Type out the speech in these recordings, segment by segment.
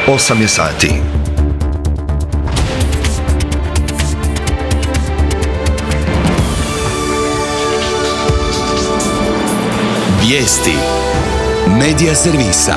8 je sati. Vijesti Medija servisa.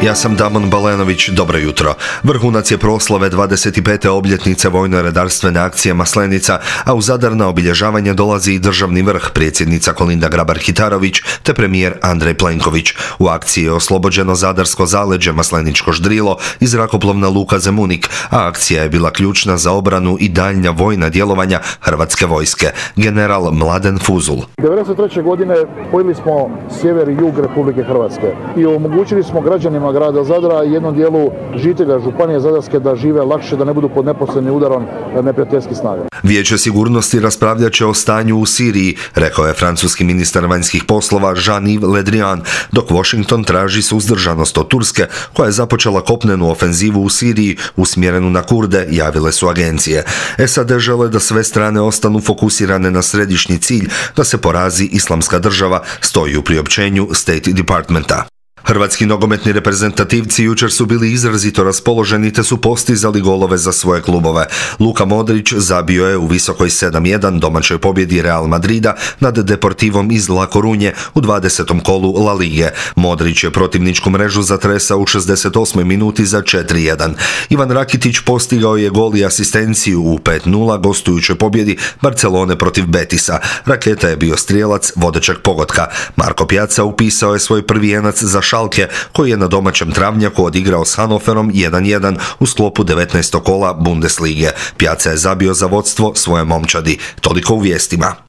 Ja sam Damon Balenović, dobro jutro. Vrhunac je proslave 25. obljetnice vojno-redarstvene akcije Maslenica, a u Zadar na obilježavanje dolazi i državni vrh, predsjednica Kolinda Grabar-Kitarović te premijer Andrej Plenković. U akciji je oslobođeno zadarsko zaleđe, Masleničko Ždrilo i zrakoplovna luka Zemunik, a akcija je bila ključna za obranu i daljnja vojna djelovanja Hrvatske vojske. General Mladen Fuzul. 1993. godine spojili smo sjever i jug Republike Hrvatske i omogućili smo građanima grada Zadra i jednom dijelu žitelja Županije Zadarske da žive lakše, da ne budu pod neposrednim udarom neprijateljskih snaga. Vijeće sigurnosti raspravljat će o stanju u Siriji, rekao je francuski ministar vanjskih poslova Jean-Yves Le Drian, dok Washington traži suzdržanost od Turske, koja je započela kopnenu ofenzivu u Siriji usmjerenu na Kurde, javile su agencije. SAD žele da sve strane ostanu fokusirane na središnji cilj, da se porazi Islamska država, stoji u priopćenju State Departmenta. Hrvatski nogometni reprezentativci jučer su bili izrazito raspoloženi te su postizali golove za svoje klubove. Luka Modrić zabio je u visokoj 7-1 domaćoj pobjedi Real Madrida nad Deportivom iz La Corunje u 20. kolu La Lige. Modrić je protivničku mrežu zatresao u 68. minuti za 4-1. Ivan Rakitić postigao je gol i asistenciju u 5-0 gostujućoj pobjedi Barcelone protiv Betisa. Raketa je bio strijelac vodećeg pogotka. Marko Pjaca upisao je svoj prvi jenac za Schalke, koji je na domaćem travnjaku odigrao s Hannoverom 1-1 u sklopu 19. kola Bundeslige. Pjaca je zabio za vodstvo svoje momčadi. Toliko u vijestima.